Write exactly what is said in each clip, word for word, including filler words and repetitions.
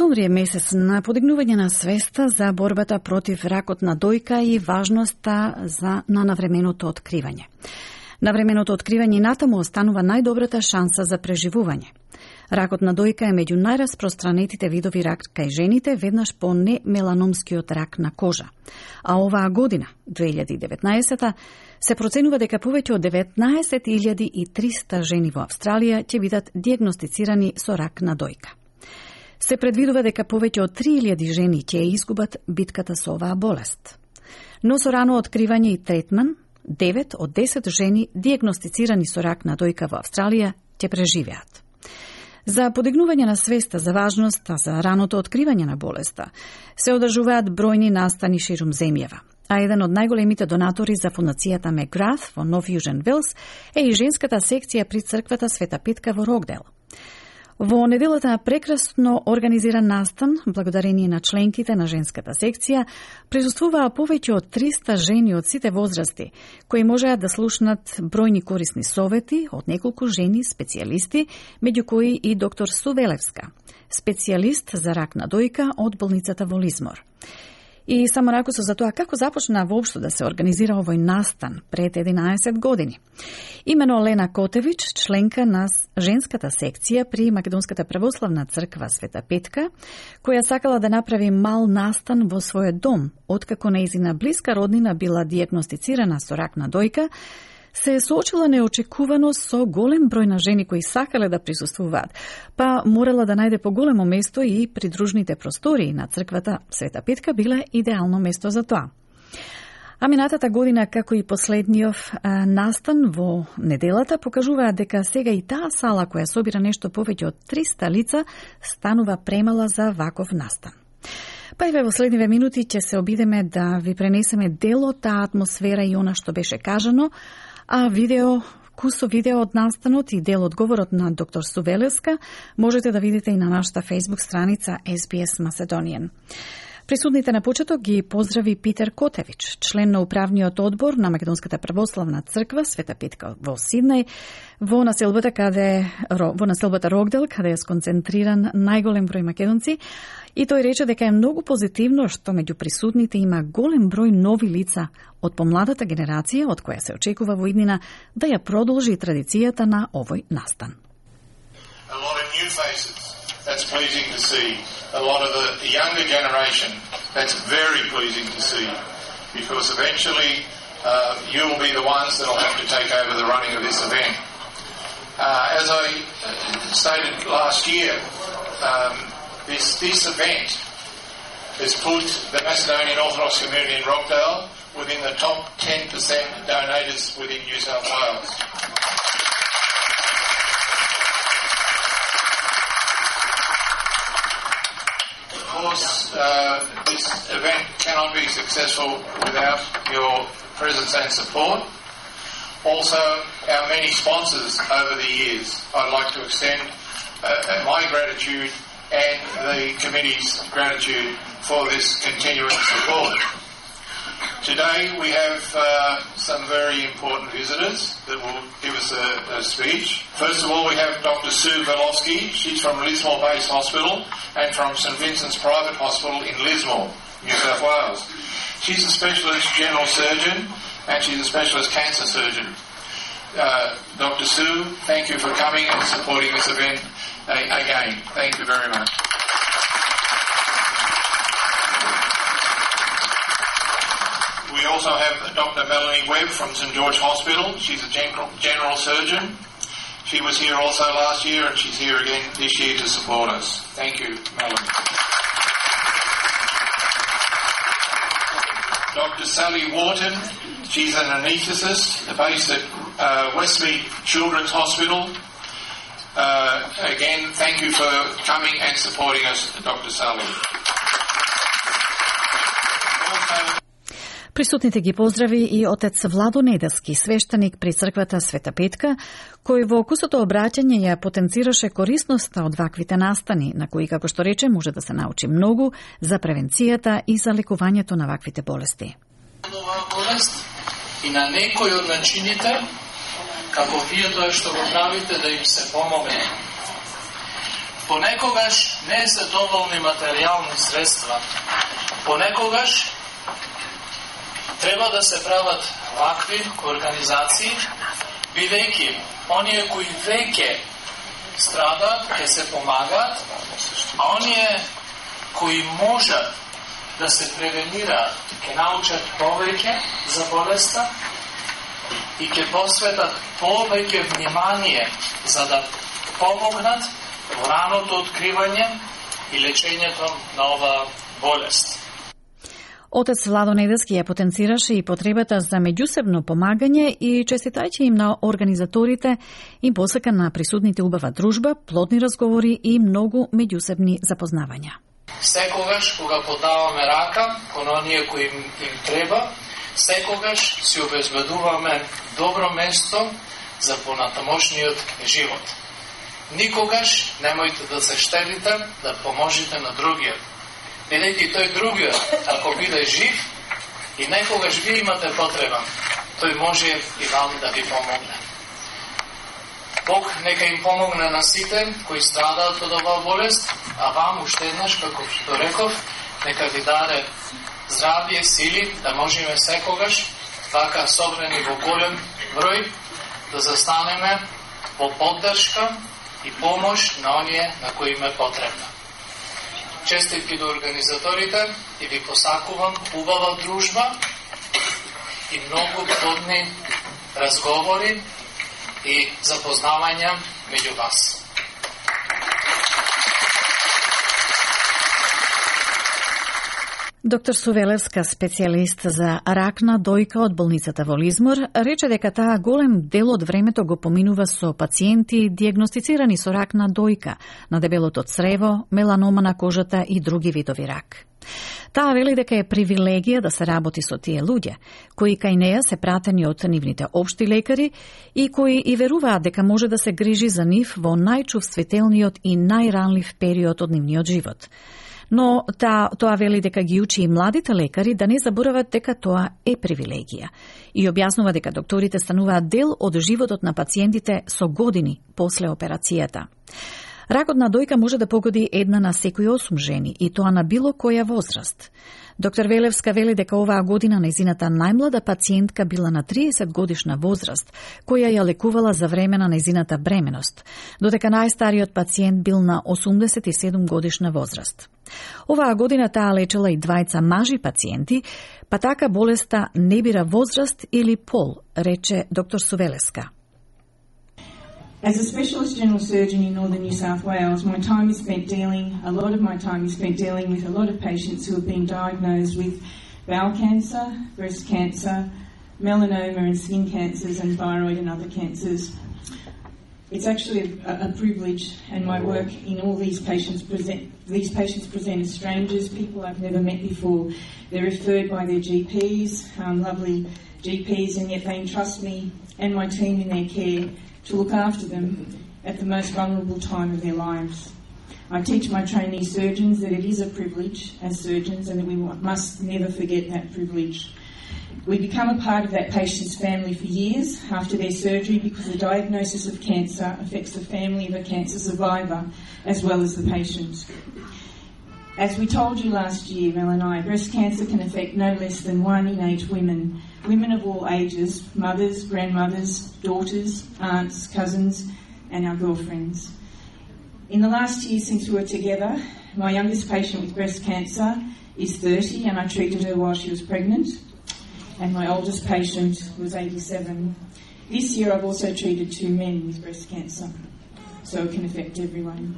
Октомври е месец на подигнување на свеста за борбата против ракот на дојка и важноста за на навременото откривање. Навременото откривање натаму останува најдобрата шанса за преживување. Ракот на дојка е меѓу најраспространетите видови рак кај жените, веднаш по немеланомскиот рак на кожа. А оваа година, две илјади и деветнаесета, се проценува дека повеќе од деветнаесет илјади и триста жени во Австралија ќе бидат дијагностицирани со рак на дојка. Се предвидува дека повеќе од три илјади жени ќе изгубат битката со оваа болест. Но со рано откривање и третман, девет од десет жени дијагностицирани со рак на дојка во Австралија ќе преживеат. За подигнување на свеста за важноста за раното откривање на болеста се одржуваат бројни настани ширум земјава, а еден од најголемите донатори за фундацијата Меграт во Нов Јужен Велс е и женската секција при црквата Света Петка во Рокдел. Во неделата на прекрасно организиран настан, благодарение на членките на женската секција, присуствуваа повеќе од триста жени од сите возрасти, кои можеа да слушнат бројни корисни совети од неколку жени специјалисти, меѓу кои и доктор Сувелевска, специјалист за рак на дојка од болницата во Лизмор. И само ракусо за тоа како започна воопшто да се организира овој настан пред единаесет години. Имено Лена Котевич, членка на женската секција при Македонската православна црква Света Петка, која сакала да направи мал настан во својот дом, откако нејзина блиска роднина била дијагностицирана со рак на дојка, се соочила неочекувано со голем број на жени кои сакале да присуствуваат, па морала да најде поголемо место и придружните простории на црквата Света Петка биле идеално место за тоа. А минатата година, како и последниот настан во неделата, покажуваат дека сега и таа сала која собира нешто повеќе од триста лица станува премала за ваков настан. Па и во следниве минути ќе се обидеме да ви пренесеме дел од таа атмосфера и она што беше кажано, а видео, кусо видео од настанот и дел од говорот на доктор Сувелевска можете да видите и на нашата Facebook страница Ес Би Ес Macedonian. Присутните на почеток ги поздрави Питер Котевич, член на управниот одбор на Македонската православна црква Света Петка во Сиднеј, во населбата каде во населбата Рокдел, каде е сконцентриран најголем број македонци, и тој рече дека е многу позитивно што меѓу присутните има голем број нови лица од помладата генерација, од која се очекува во иднина да ја продолжи традицијата на овој настан. A lot of new faces. That's pleasing to see. A lot of the younger generation, that's very pleasing to see, because eventually uh, you will be the ones that will have to take over the running of this event. Uh, as I stated last year, um, this, this event has put the Macedonian Orthodox community in Rockdale within the top ten percent donators within New South Wales. Of course, uh, this event cannot be successful without your presence and support. Also, our many sponsors over the years. I'd like to extend uh, my gratitude and the committee's gratitude for this continuing support. Today we have uh, some very important visitors that will give us a, a speech. First of all, we have Doctor Sue Velofsky. She's from Lismore Base Hospital and from St Vincent's Private Hospital in Lismore, New South Wales. She's a specialist general surgeon and she's a specialist cancer surgeon. Uh, Doctor Sue, thank you for coming and supporting this event uh, again. Thank you very much. We also have Doctor Melanie Webb from St George Hospital. She's a general, general surgeon. She was here also last year and she's here again this year to support us. Thank you, Melanie. Doctor Sally Wharton, she's an anaesthetist based at uh, Westmead Children's Hospital. Uh, again, thank you for coming and supporting us, Doctor Sally. Also, Присутните ги поздрави и отец Владо Неделски, свештеник при црквата Света Петка, кој во кусото обраќање ја потенцираше корисноста од ваквите настани, на кои, како што рече, може да се научи многу за превенцијата и за лекувањето на ваквите болести. Болест и на некој од начините, како вие тоа што го правите, да им се помогне. Понекогаш не се доволни материјални средства. Понекогаш треба да се прават вакви организации, бидејќи оние кои веќе страдаат, ќе се помагаат, а оние кои можат да се превенираат, ќе научат повеќе за болеста и ќе посветат повеќе внимание за да помогнат во раното откривање и лечењето на оваа болест. Отец Владо Недески ја потенцираше и потребата за меѓусебно помагање и честитајќи им на организаторите им посака на присутните убава дружба, плодни разговори и многу меѓусебни запознавања. Секогаш кога подаваме рака кон оние кои им, им треба, секогаш си обезбедуваме добро место за понатамошниот живот. Никогаш немојте да се штедите да поможете на другиот. Бидејќи тој другиот, ако биде жив и некогаш ви имате потреба, тој може и вам да ви помогне. Бог нека им помогне на сите кои страдаат од оваа болест, а вам уште еднаш, како што реков, нека ви даде здравје, сили, да можеме секогаш, вака собрани во голем број, да застанеме во поддршка и помош на оние на кои им е потребна. Честитки до организаторите и ви посакувам убава дружба и многу плодни разговори и запознавања меѓу вас. Доктор Сувелевска, специјалист за рак на дојка од болницата во Лизмор, рече дека таа голем дел од времето го поминува со пациенти дијагностицирани со рак на дојка, на дебелото црево, меланома на кожата и други видови рак. Таа вели дека е привилегија да се работи со тие луѓе, кои кај неја се пратени од нивните општи лекари и кои и веруваат дека може да се грижи за нив во најчувствителниот и најранлив период од нивниот живот. Но та, тоа вели дека ги учи и младите лекари да не заборават дека тоа е привилегија и објаснува дека докторите стануваат дел од животот на пациентите со години после операцијата. Ракот на дојка може да погоди една на секој осум жени и тоа на било која возраст. Доктор Велевска вели дека оваа година нејзината најмлада пациентка била на триесет годишна возраст, која ја лекувала за време на нејзината бременост, додека најстариот пациент бил на осумдесет и седум годишна возраст. Оваа година таа лечела и двајца мажи пациенти, па така болеста не бира возраст или пол, рече доктор Сувелевска. As a specialist general surgeon in northern New South Wales, my time is spent dealing, a lot of my time is spent dealing with a lot of patients who have been diagnosed with bowel cancer, breast cancer, melanoma and skin cancers, and thyroid and other cancers. It's actually a, a privilege, and my work in all these patients present, these patients present as strangers, people I've never met before. They're referred by their G Ps, um, lovely G Ps, and yet they entrust me and my team in their care to look after them at the most vulnerable time of their lives. I teach my trainee surgeons that it is a privilege as surgeons and that we must never forget that privilege. We become a part of that patient's family for years after their surgery because the diagnosis of cancer affects the family of a cancer survivor as well as the patient. As we told you last year, Mel and I, breast cancer can affect no less than one in eight women, women of all ages, mothers, grandmothers, daughters, aunts, cousins, and our girlfriends. In the last year since we were together, my youngest patient with breast cancer is thirty, and I treated her while she was pregnant, and my oldest patient was eighty-seven. This year I've also treated two men with breast cancer, so it can affect everyone.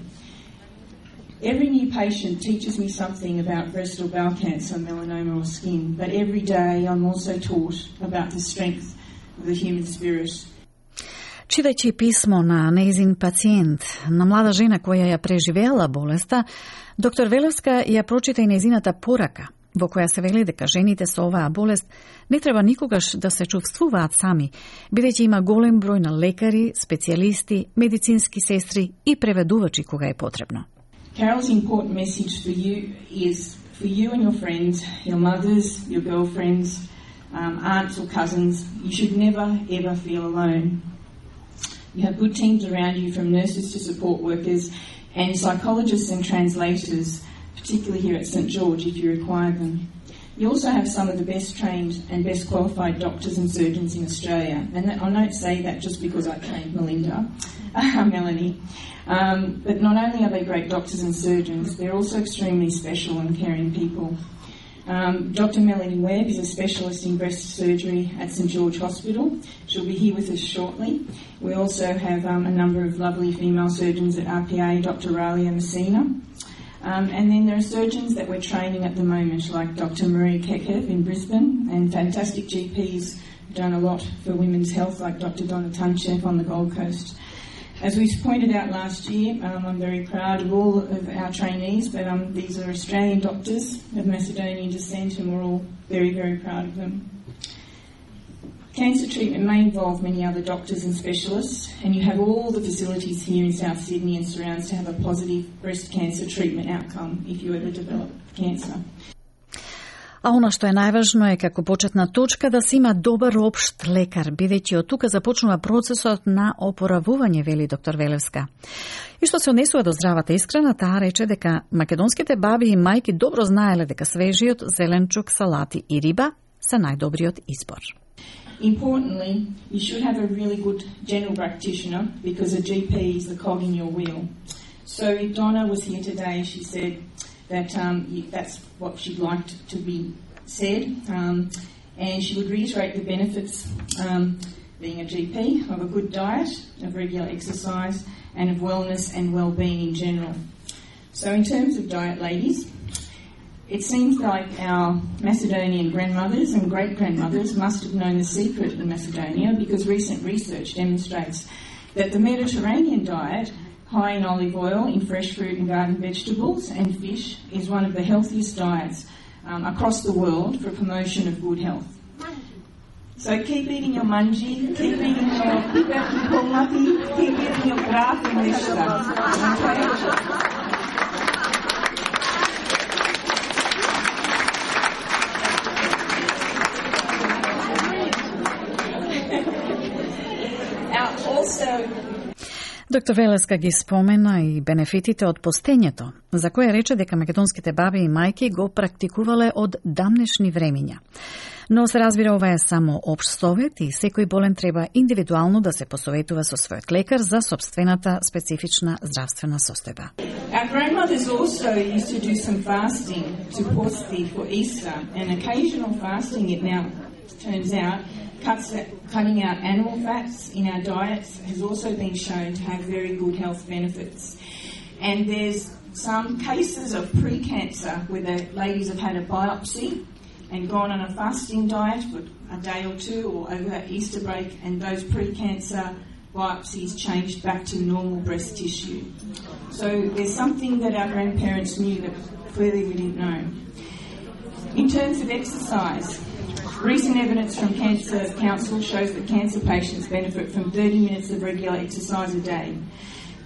Every new patient teaches me something about breast or bowel cancer, melanoma or skin, but every day I'm also taught about the strength of the human spirit. Читајќи писмо на нејзин пациент, на млада жена која ја преживеала болеста, доктор Велевска ја прочита и нејзината порака, во која се вели дека жените со оваа болест не треба никогаш да се чувствуваат сами, бидејќи има голем број на лекари, специјалисти, медицински сестри и преведувачи кога е потребно. Carol's important message for you is for you and your friends, your mothers, your girlfriends, um, aunts or cousins, you should never ever feel alone. You have good teams around you, from nurses to support workers and psychologists and translators, particularly here at St George if you require them. You also have some of the best trained and best qualified doctors and surgeons in Australia. And that, I don't say that just because I trained Melinda, uh, Melanie. Um, but not only are they great doctors and surgeons, they're also extremely special and caring people. Um, Doctor Melanie Webb is a specialist in breast surgery at St George Hospital. She'll be here with us shortly. We also have um, a number of lovely female surgeons at R P A, Doctor Ralia Messina. Um, and then there are surgeons that we're training at the moment, like Doctor Marie Kekev in Brisbane, and fantastic G Ps who've done a lot for women's health, like Doctor Donna Tunchev on the Gold Coast. As we pointed out last year, um, I'm very proud of all of our trainees, but um, these are Australian doctors of Macedonian descent, and we're all very, very proud of them. Cancer treatment may involve many other doctors and specialists, and you have all the facilities here in South Sydney and surrounds to have a positive breast cancer treatment outcome if you ever develop cancer. А она што е најважно е како почетна точка да се има добар општ лекар, бидејќи од тука започнува процесот на опоравување, вели доктор Велевска. И што се однесува до здравата исхрана, таа рече дека македонските баби и мајки добро знаеле дека свежиот зеленчук, салати и риба се најдобриот избор. Importantly, you should have a really good general practitioner because a G P is the cog in your wheel. So if Donna was here today, she said that um, that's what she'd like to be said, um, and she would reiterate the benefits, um, being a G P, of a good diet, of regular exercise, and of wellness and well-being in general. So in terms of diet, ladies, it seems like our Macedonian grandmothers and great-grandmothers must have known the secret in Macedonia, because recent research demonstrates that the Mediterranean diet, high in olive oil, in fresh fruit and garden vegetables and fish, is one of the healthiest diets um, across the world for promotion of good health. So keep eating your manji, keep eating your pipet, keep eating your graf and vegetables. Okay? Доктор Велеска ги спомена и бенефитите од постењето, за кое рече дека македонските баби и мајки го практикувале од дамнешни времиња. Но се разбира, ова е само општ совет и секој болен треба индивидуално да се посоветува со својот лекар за собствената специфична здравствена состојба. Our grandmothers also used to do some fasting to posti for Easter, and occasional fasting, it now turns out, Cuts, cutting out animal fats in our diets has also been shown to have very good health benefits. And there's some cases of pre-cancer where the ladies have had a biopsy and gone on a fasting diet for a day or two or over that Easter break, and those pre-cancer biopsies changed back to normal breast tissue. So there's something that our grandparents knew that clearly we didn't know. In terms of exercise, recent evidence from Cancer Council shows that cancer patients benefit from thirty minutes of regular exercise a day.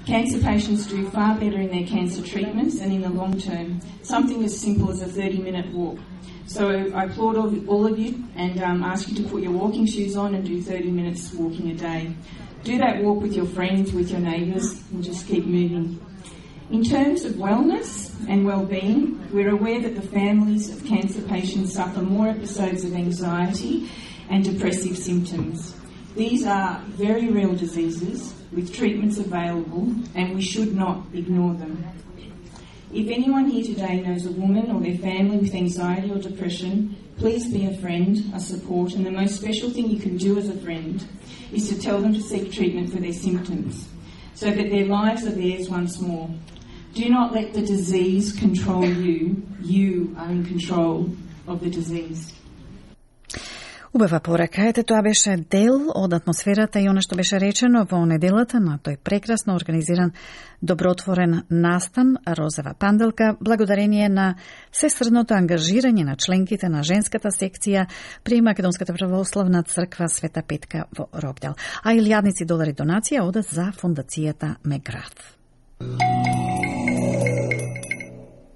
Cancer patients do far better in their cancer treatments and in the long term, something as simple as a thirty-minute walk. So I applaud all of you and um, ask you to put your walking shoes on and do thirty minutes walking a day. Do that walk with your friends, with your neighbours, and just keep moving. In terms of wellness and well-being, we're aware that the families of cancer patients suffer more episodes of anxiety and depressive symptoms. These are very real diseases with treatments available, and we should not ignore them. If anyone here today knows a woman or their family with anxiety or depression, please be a friend, a support, and the most special thing you can do as a friend is to tell them to seek treatment for their symptoms, so that their lives are theirs once more. Do not let the disease control you. You are in control of the disease. Убава порака, ете, тоа беше дел од атмосферата и оно што беше речено во неделата на тој прекрасно организиран добротворен настан Розова панделка, благодарение на сестрното ангажирање на членките на женската секција при Македонската православна црква Света Петка во Рогдел. А илјадници долари донација одат за фондацијата Меграф.